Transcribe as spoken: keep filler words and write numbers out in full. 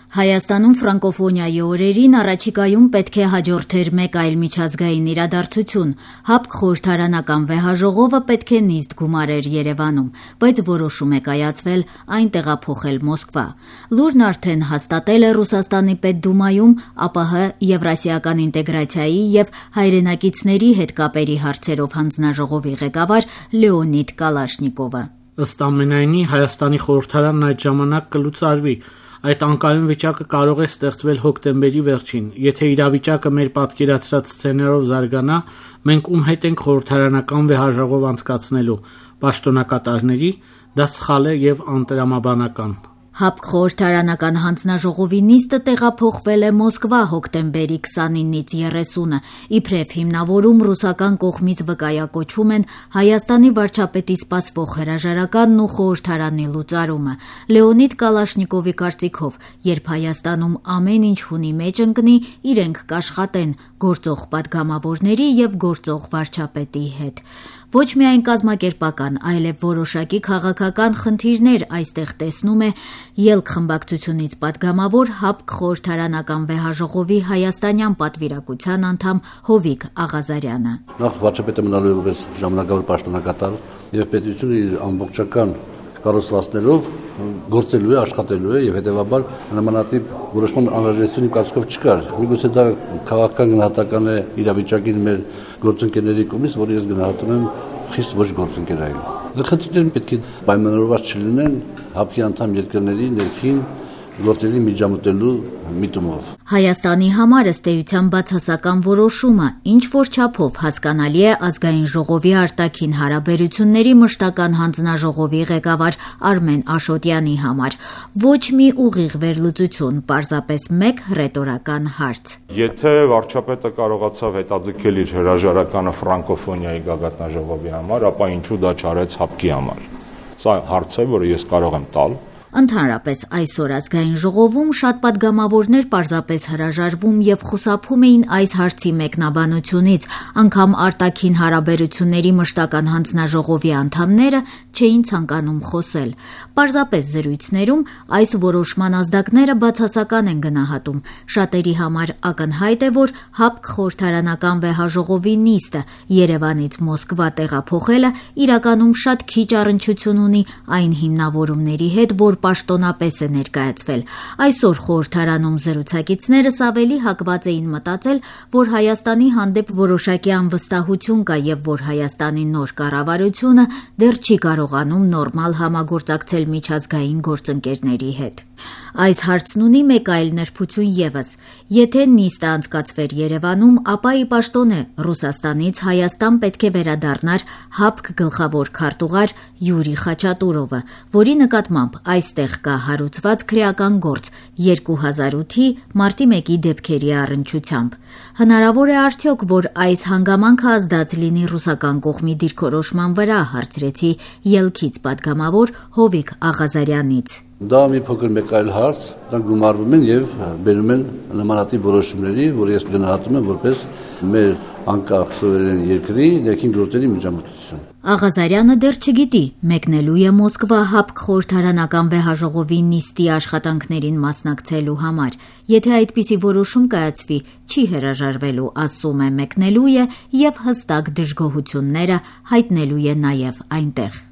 Հայաստանում ֆրանկոֆոնիայի օրերին առաջիկայում պետք է հաջորդեր մեկ այլ միջազգային իրադարձություն։ ՀԱՊԿ խորհրդարանական վեհաժողովը պետք է նիստ գումարեր Երևանում, բայց որոշում է կայացվել այն տեղափոխել Մոսկվա։ Լուրն արդեն հաստատել է Ռուսաստանի Պետդումայում ԱՊՀ Եվրասիական ինտեգրացիայի եւ հայրենակիցների հետ կապերի հարցերով հանձնաժողովի ղեկավար Լեոնիդ Կալաշնիկովը։ Ըստ ամենայնի Հայաստանի խորհրդարանն այդ ժամանակ կլուծարվի։ Այդ անկայուն վիճակը կարող է ստեղծվել հոկտեմբերի վերջին։ Եթե իրավիճակը մեր պատկերացրած սցենարով զարգանա, մենք ում հետ ենք խորհրդարանական վեհաժողով անցկացնելու պաշտոնակատարների, դա սխալ է եւ անտրամաբանական։ ՀԱՊԿ խորհրդարանական հանձնաժողովի նիստը տեղափոխվել է Մոսկվա հոկտեմբերի քսանինից երեսունը, իբրև հիմնավորում ռուսական կողմից վկայակոչում են Հայաստանի վարչապետի սպասվող հրաժարականն ու խորհրդարանի լուծարումը։ Լեոնիդ Կալաշնիկովի կարծիքով, երբ Հայաստանում ամեն ինչ հունի մեջ ընկնի, իրենք կաշխատեն գործող падգամավորների եւ գործող վարչապետի հետ։ Ոչ միայն կազմակերպական, այլև որոշակի քաղաքական խնդիրներ այստեղ տեսնում է ԵԼՔ խմբակցությունից падգամավոր ՀԱՊԿ խորհրդարանական վեհաժողովի հայաստանյան պատվիրակության անդամ Հովիկ Աղազարյանը։ Նախ վարչապետը մնալու է որպես ժամանակավոր պաշտոնակատար եւ պետությունը իր ամբողջական կառուցվածքներով գործելու է, աշխատելու է եւ հետեւաբար նմանատիպ որոշման անհրաժեշտություն կարծիքով չկար։ Միգուցե դա քաղաքական գնահատական է իրավիճակին մեր գործընկերների կողմից, որը ես գնահատում եմ խիստ ոչ գործընկերային։ Խնդիրները պետք է պայմանավորված չլինեն ՀԱՊԿ-ի անդամ երկրների ներքին գործերի միջամտելու միտումով։ Հայաստանի համար ըստ էության բացասական որոշումը ինչ որ չափով հասկանալի է ազգային ժողովի արտաքին հարաբերությունների մշտական հանձնաժողովի ղեկավար Արմեն Աշոտյանի համար։ Ոչ մի ուղիղ վերլուծություն, պարզապես մեկ ռետորական հարց։ Եթե վարչապետը կարողացավ հետաձգել իր հրաժարականը ֆրանկոֆոնիայի գագաթնաժողովի համար, ապա ինչու դա չարեց ՀԱՊԿ-ի համար։ Սա հարց է, որը ես կարող եմ տալ։ Ընդհանրապես այսօր ազգային ժողովում շատ падգամավորներ պարզապես հրաժարվում եւ խուսափում էին այս հարցի մեկնաբանությունից, անգամ արտաքին հարաբերությունների մշտական հանձնաժողովի անդամները չէին ցանկանում խոսել։ Պարզապես զրույցներում այս որոշման ազդակները բացասական են գնահատում։ Շատերի համար ակնհայտ է, որ ՀԱՊԿ խորհրդարանական վեհաժողովի նիստը Երևանից Մոսկվա տեղափոխելը իրականում շատ քիչ առնչություն ունի այն հիմնավորումների հետ, որ պաշտոնապես է ներկայացվել։ Այսօր խորհրդարանում զրուցակիցներս ավելի հակված էին մտածել, որ Հայաստանի հանդեպ որոշակի անվստահություն կա եւ որ Հայաստանի նոր կառավարությունը դեռ չի կարողանում նորմալ համագործակցել միջազգային գործընկերների հետ։ Այս հարցն ունի մեկ այլ նրբություն եւս։ Եթե նիստը անցկացվեր Երևանում, ապա ի պաշտոնե Ռուսաստանից Հայաստան պետք է վերադառնար ՀԱՊԿ գլխավոր քարտուղար Յուրի Խաչատուրովը, որի նկատմամբ այստեղ կա հարուցված քրեական գործ երկու հազար ութի մարտի մեկի դեպքերի առնչությամբ։ Հնարավոր է արդյոք, որ այս հանգամանքը ազդած լինի ռուսական կողմի դիրքորոշման վրա, հարցրեցի ԵԼՔ-ից падգամավոր Հովիկ Աղազարյանից։ Դա մի փոքր մեկ այլ հարց, դրանք գումարվում են եւ բերում են նմանատիպ որոշումների, որ ես գնահատում եմ որպես մեր անկախ սուվերեն երկրի ներքին գործերի միջամտություն։ Աղազարյանը դեռ չգիտի մեկնելու է Մոսկվա ՀԱՊԿ խորհրդարանական վեհաժողովի նիստի աշխատանքներին մասնակցելու համար։ Եթե այդպիսի որոշում կայացվի, չի հրաժարվելու, ասում է, մեկնելու է եւ հստակ դժգոհությունները հայտնելու է նաեւ այնտեղ։